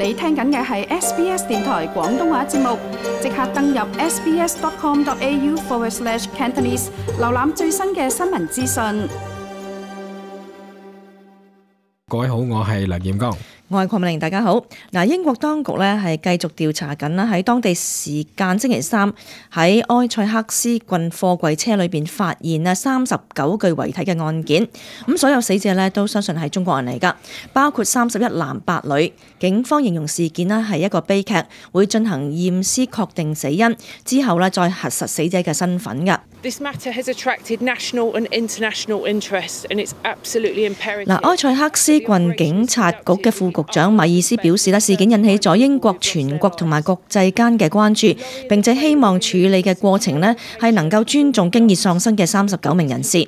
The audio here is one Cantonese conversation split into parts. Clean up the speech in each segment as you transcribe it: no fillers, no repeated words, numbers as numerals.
你聽緊嘅係 SBS 電台廣東話節目，即刻登入 sbs.com.au/Cantonese 瀏覽最新嘅新聞資訊。各位好，我係梁彥剛。我係鄺美玲，大家好。英國當局呢係繼續調查緊啦，喺當地時間星期三喺埃塞克斯郡貨櫃車裏邊發現啊39具遺體嘅案件。咁所有死者呢都相信係中國人嚟㗎，包括31男8女。警方形容事件呢係一個悲劇，會進行驗屍確定死因，之後呢再核實死者嘅身份㗎。This matter has attracted national and international interest, and it's absolutely imperative. 埃塞克斯郡警察局嘅副局長米爾斯表示，事件引起咗英國全國同埋國際間嘅關注，並且希望處理嘅過程呢係能夠尊重經已喪生嘅39名人士。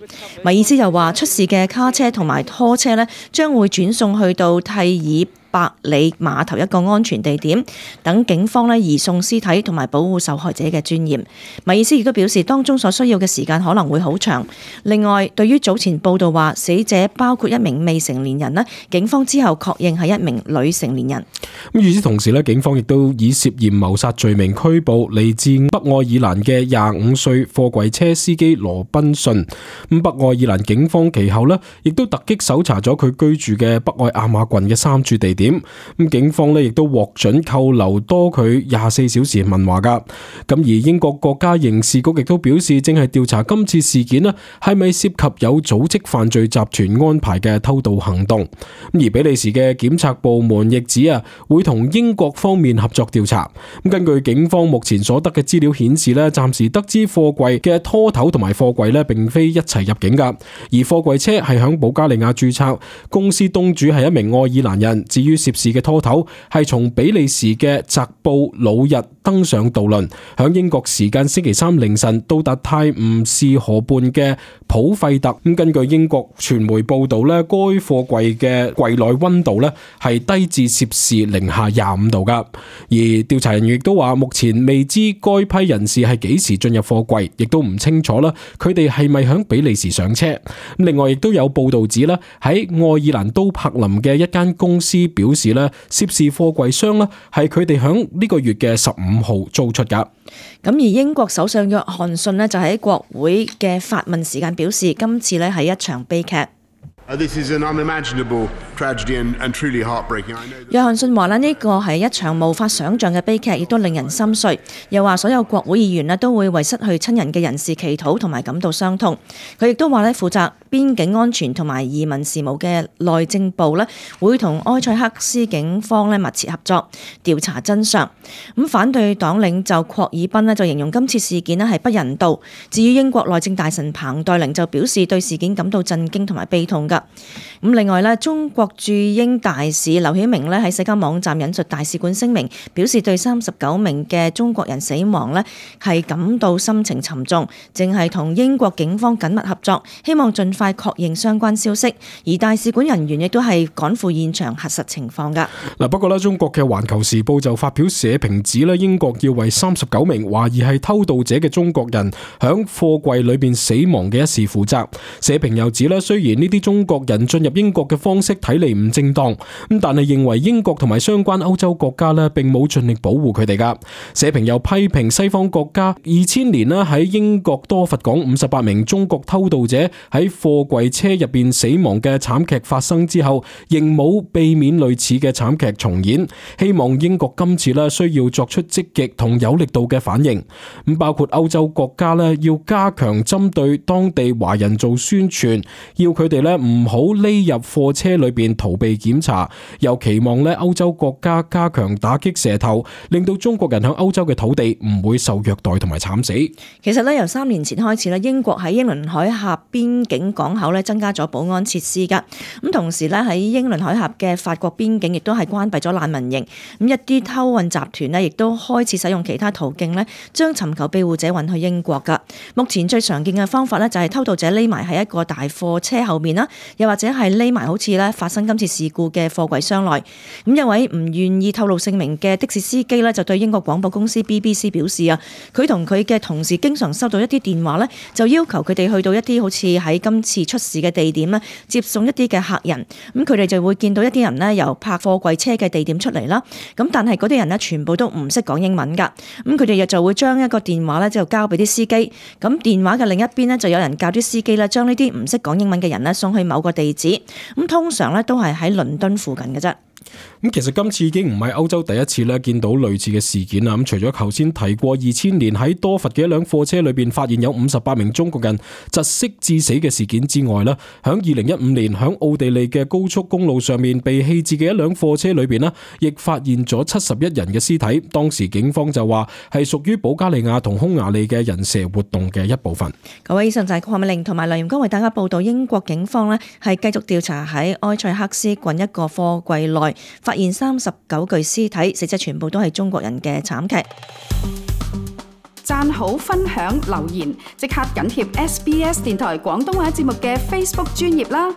米爾斯又話，出事嘅卡車同埋拖車呢將會轉送去到蒂爾百里碼頭一個安全地點，等警方呢移送屍體同埋保護受害者嘅尊嚴。米爾斯亦都表示，當中所需要嘅時間可能會好長。另外，對於早前報道話死者包括一名未成年人呢，警方之後確認係一名女成年人。與此同時呢，警方亦都以涉嫌謀殺罪名拘捕嚟自北愛爾蘭嘅25歲貨櫃車司機羅賓遜。北愛爾蘭警方其後呢亦都突擊搜查咗佢居住嘅北愛亞馬郡嘅3處地點。警方呢亦都獲准扣留多佢24小時問話噶。而英國國家刑事局亦都表示，正係調查今次事件呢係咪涉及有組織犯罪集團安排嘅偷渡行動。而比利時嘅檢察部門亦指會同英國方面合作調查。根據警方目前所得嘅資料顯示呢，暫時得知貨櫃嘅拖頭同埋貨櫃呢並非一齊入境噶，而貨櫃車係響保加利亞註冊，公司東主係一名愛爾蘭人。至於涉事嘅拖頭係從比利時嘅澤布魯日登上渡輪，響英國時間星期三凌晨到達泰晤士河畔嘅普費特。根據英國傳媒報道呢，該貨櫃嘅櫃內溫度呢係低至攝氏零下25度噶。而調查人員亦都話，目前未知該批人士係幾時進入貨櫃，亦都唔清楚啦，佢哋係咪響比利時上車。另外亦都有報道指啦，喺愛爾蘭都柏林嘅一間公司表示咧，涉事貨櫃箱咧係佢哋響呢個月嘅15號租出噶。而英國首相約翰遜咧就喺國會嘅發問時間表示，今次咧係一場悲劇。This is an unimaginable tragedy and truly heartbreaking. 約翰遜話呢個係一場無法想像嘅悲劇，亦都令人心碎。又話所有國會議員都會為失去親人嘅人士祈禱同埋感到傷痛。佢亦都話負責邊境安全同埋移民事務嘅內政部會同埃塞克斯警方密切合作調查真相。反對黨領袖霍爾賓就形容今次事件係不人道。至於英國內政大臣彭黛玲就表示對事件感到震驚同埋悲痛㗎。另外中國駐英大使劉曉明喺社交網站引述大使館聲明，表示對39名嘅中國人死亡係感到心情沉重，正係同英國警方緊密合作，希望盡快確認相關消息。而大使館人員亦都係趕赴現場核實情況㗎。不過中國嘅環球時報就發表社評指英國要為39名懷疑係偷渡者嘅中國人響貨櫃裏邊死亡嘅一事負責。社評又指雖然呢啲中國人進入英國嘅方式睇嚟唔正當，但係認為英國同埋相關歐洲國家並冇盡力保護佢哋噶。社評又批評西方國家2000年喺英國多佛港58名中國偷渡者喺貨櫃車入邊死亡嘅慘劇發生之後，仍冇避免類似嘅慘劇重演。希望英國今次需要作出積極同有力度嘅反應，包括歐洲國家要加強針對當地華人做宣傳，要佢哋唔好匿入貨車裏邊逃避檢查，又期望歐洲國家加強打擊蛇頭，令到中國人喺歐洲嘅土地唔會受虐待同埋慘死。其實由3年前開始英國喺英倫海峽邊境港口增加咗保安設施㗎。同時喺英倫海峽嘅法國邊境亦都係關閉咗難民營。一啲偷運集團亦都開始使用其他途徑將尋求庇護者運去英國㗎。目前最常見嘅方法就係偷渡者匿埋喺一個大貨車後面啦，又或者係匿埋好似發生今次事故嘅貨櫃箱內。一位唔願意透露姓名嘅的士司機就對英國廣播公司 BBC 表示佢同佢嘅同事經常收到一啲電話就要求佢哋去到一啲好似喺今今次出事嘅地點咧，接送一啲嘅客人。咁佢哋就會見到一啲人咧由泊貨櫃車嘅地點出嚟啦。咁但係嗰啲人咧全部都唔識講英文㗎。咁佢哋就會將一個電話咧就交俾啲司機。咁電話嘅另一邊咧就有人教啲司機咧將呢啲唔識講英文嘅人咧送去某個地址。咁通常咧都係喺倫敦附近嘅啫。咁其實今次已經唔係歐洲第一次咧見到類似嘅事件啦。咁除咗頭先提過2000年喺多佛嘅一輛貨車裏邊發現有58名中國人窒息致死嘅事件之外咧，響2015年響奧地利嘅高速公路上面被棄置嘅一輛貨車裏邊咧，亦發現咗71人嘅屍體。當時警方就話係屬於保加利亞同匈牙利嘅人蛇活動嘅一部分。各位，以上就係鄺美玲同埋梁炎光為大家報道，英國警方咧係繼續調查喺埃塞克斯郡一個貨櫃內發現39具屍體，死者全部都係中國人嘅慘劇。讚好、分享、留言，即刻緊貼SBS 電台廣東話節目嘅 Facebook 專頁啦！